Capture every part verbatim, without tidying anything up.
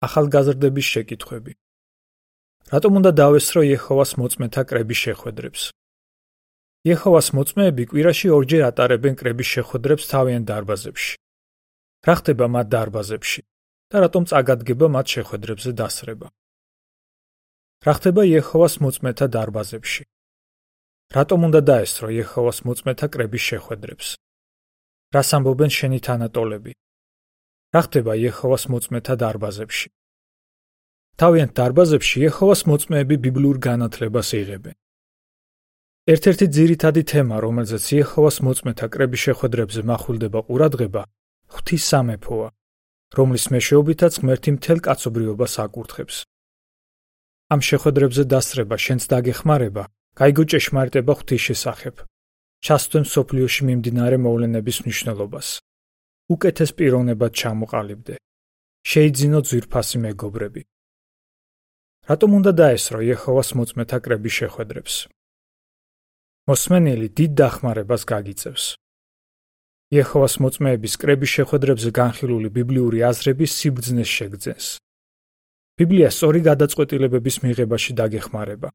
ახალგაზრდების შეკითხვები. რატომ უნდა დავესწრო იეჰოვას მოწმეთა კრების შეხვედრებს? იეჰოვას მოწმეები კვირაში ორჯერ ატარებენ კრების შეხვედრებს თავიანთ დარბაზებში. რა ხდება მათ დარბაზებში და რატომ წაგადგება მათ შეხვედრებზე დასრება? რა ხდება იეჰოვას მოწმეთა დარბაზებში? რატომ უნდა დაესწრო იეჰოვას მოწმეთა კრების შეხვედრებს? რას ამბობენ შენი თანატოლები? რა ხდება იეჰოვას მოწმეთა დარბაზებში? თავიანთ დარბაზებში იეჰოვას მოწმეები ბიბლიურ განათლებას იღებენ. ერთ-ერთი ძირითადი თემა, რომელზეც იეჰოვას მოწმეთა კრების შეხვედრებზე מחვილდება ყურადღება, ღვთის სამეფოა, რომლის მეშვეობითაც ღმერთი მთელ კაცობრიობას აკურთხებს. ამ შეხვედრებზე დასწრება შენს დაგეხმარება, გაიგო ჭეშმარიტება ღვთის შესახებ, ჩასწვდე მსოფლიოში მიმდინარე მოვლენების მნიშვნელობას, უკეთეს პიროვნებად ჩამოყალიბდე, შეიძინო ძვირფასი მეგობრები. რატომ უნდა დაესწრო იეჰოვას მოწმეთა კრების შეხვედრებს? მოსმენელი დიდ დახმარებას გაგიწევს. იეჰოვას მოწმეების კრების შეხვედრებზე განხილული ბიბლიური აზრების სიბრძნეს შეგძენს. ბიბლია სწორი გადაწყვეტილებების მიღებაში დაგეხმარება.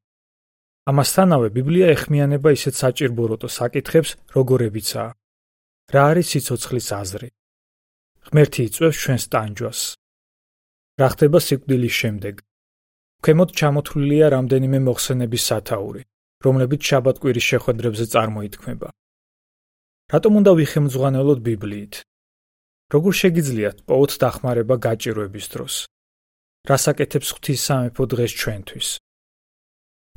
ამასთანავე ბიბლია ეხმიანება ისეთ საჭირბოროტო საკითხებს, როგორებიცაა: რა არის სიცოცხლის აზრი? ღმერთი იწვევს ჩვენს ტანჯვას. რა ხდება სიკვდილის შემდეგ? ქვემოთ ჩამოთვლილია რამდენიმე მოხსენების სათაური, რომლებიც შაბათ-კვირის შეხვედრებზე წარმოითქმება. რატომ უნდა ვიხემძღვანელოთ ბიბლიით? როგორ შეგიძლიათ პოვოთ დახმარება გაჭირვების დროს? რას აკეთებს ღვთის სამეფო დღეს ჩვენთვის?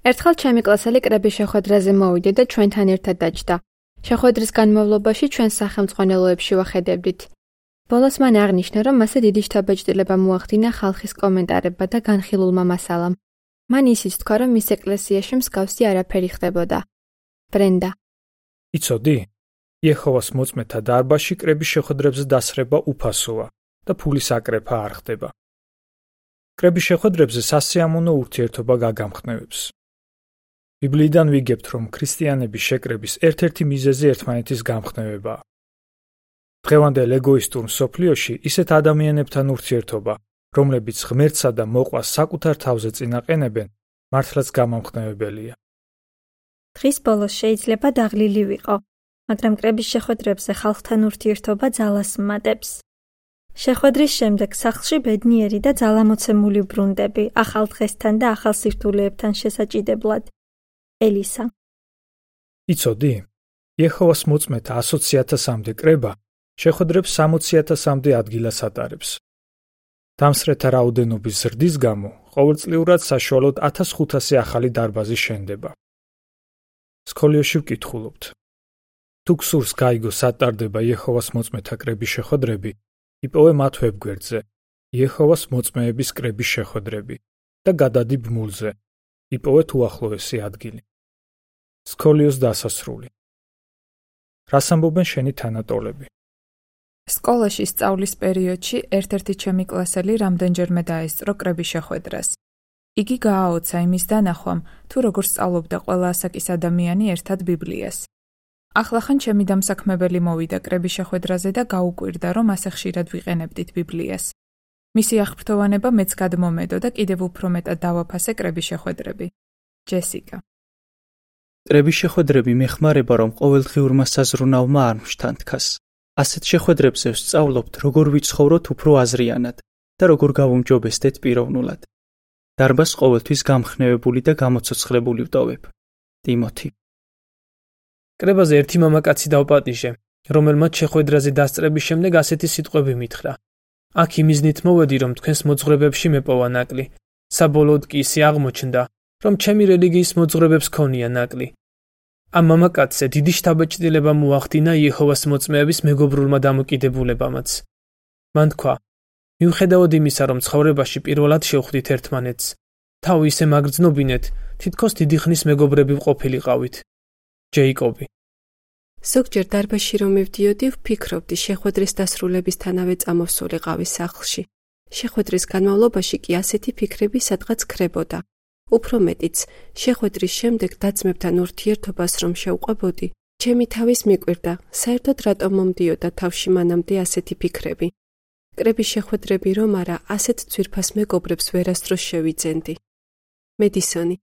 ერთხელ ჩემი კლასელი კრების შეხვედრაზე მოვიდა და ჩვენთან ერთად დაჯდა. შეხვედრის განმავლობაში ჩვენ სახელმძღვანელოებში ვახედებდით. ბოლოს მან აღნიშნა, რომ მასზე დიდი შთაბეჭდილება მოახდინა ხალხის კომენტარებმა და განხილულმა მასალამ. მან ისიც თქვა, რომ მის ეკლესიაში მსგავსი არაფერი ხდებოდა. ბრენდა. იცოდი? იეჰოვას მოწმეთა დარბაზში კრების შეხვედრებზე დასრება უფასოა და ფულის აკრეფა არ ხდება. კრების შეხვედრებზე სასიამოვნო ურთიერთობა გაგამხნევებს. ბიბლიიდან ვიგებთ, რომ ქრისტიანების შეკრების ერთ-ერთი მიზეზი ერთმანეთის გამხნევებაა. დღევანდელ ეგოისტურ მსოფლიოში ისეთ ადამიანებთან ურთიერთობა, რომლებიც ღმერთსა და მოყვას საკუთარ თავზე წინაყენებენ, მართლაც გამამხნევებელია. დღის ბოლოს შეიძლება დაღლილი ვიყო, მაგრამ კრების შეხვედრებზე ხალხთან ურთიერთობა ძალას მატებს. შეხვედრის შემდეგ სახლში ბედნიერი და ძალამოცემული ბრუნდები, ახალ დღესთან და ახალ სირთულეებთან შესაჭიდებლად. ელისა. იცოდი? იეჰოვას მოწმეთა ათი ათასამდე კრება შეხვედრებს სამოცი ათასამდე ადგილას ატარებს. დამსწრეთა რაოდენობის ზრდის გამო ყოველწლიურად საშუალოდ ათას ხუთასი ახალი დარბაზი შენდება. სკოლებში ვკითხულობთ. თუ გსურს გაიგო სატარდება იეჰოვას მოწმეთა კრების შეხვედრები, იპოვე მათ ვებგვერდზე იეჰოვას მოწმეების კრების შეხვედრები და გადადი ბმულზე, იპოვე უახლოესი ადგილი. სკოლიოს დასასრული. რას ამბობენ შენი თანატოლები? სკოლაში სწავლის პერიოდში ერთ-ერთი ჩემი კლასელი რამდენჯერმე დაესწრო კრების შეხვედრას. იგი გააოცა იმის დანახვამ, თუ როგორ სწავლობდა ყველა ასაკის ადამიანი ერთად ბიბლიას. ახლახან ჩემი დამსაქმებელი მოვიდა კრების შეხვედრაზე და გაუკვირდა, რომ ასე ხშირად ვიყენებდით ბიბლიას. მისი აღფრთოვანება მეც გადმომედო და კიდევ უფრო მეტად დავაფასე კრების შეხვედრები. ჯესიკა. კრების შეხვედრები მეხმარება, რომ ყოველდღიურმა საზრუნავმა არ მშთანთქას. ასეთ შეხვედრებზე ვსწავლობთ, როგორ ვიცხოვროთ უფრო აზრიანად და როგორ გავუმჯობესდეთ პიროვნულად. დარბაზს ყოველთვის გამხნევებული და გამოცოცხლებული ვტოვებ. ტიმოთი. კრებაზე ერთი მამაკაცი დავპატიჟე, რომელმაც შეხვედრაზე დასწრების შემდეგ ასეთი სიტყვები მითხრა. აქ იმიზნით მოვედი, რომ თქვენს მოძღვრებებში მეპოვა ნაკლი. საბოლოოდ კი ისე აღმოჩნდა, რომ ჩემი რელიგიის მოძღვრებებს ქონია ნაკლი. ამ მამაკაცზე დიდი შთაბეჭდილება მოახდინა იეჰოვას მოწმეების მეგობრულმა დამოკიდებულებამაც. მან თქვა: მიუხედავად იმისა, რომ ცხოვრებაში პირველად შევხვდით ერთმანეთს, თავი ისე მაგრძნობინეთ, თითქოს დიდი ხნის მეგობრები ვყოფილიყავით. ჯეიკობი. ზოგჯერ დარბაზში რომ მივდიოდი, ვფიქრობდი შეხვედრის დასრულებისთანავე წამოვსულიყავი სახლში. შეხვედრის განმავლობაში კი ასეთი ფიქრები სადღაც ქრებოდა. უფრო მეტიც, შეხვედრის შემდეგ და-ძმებთან ურთიერთობას რომ შევყვებოდი, ჩემი თავის მიკვირდა, საერთოდ რატომ მომდიოდა თავში მანამდე ასეთი ფიქრები. კრების შეხვედრები რომ არა, ასეთ ძვირფას მეგობრებს ვერასდროს შევიძენდი. მედისონი,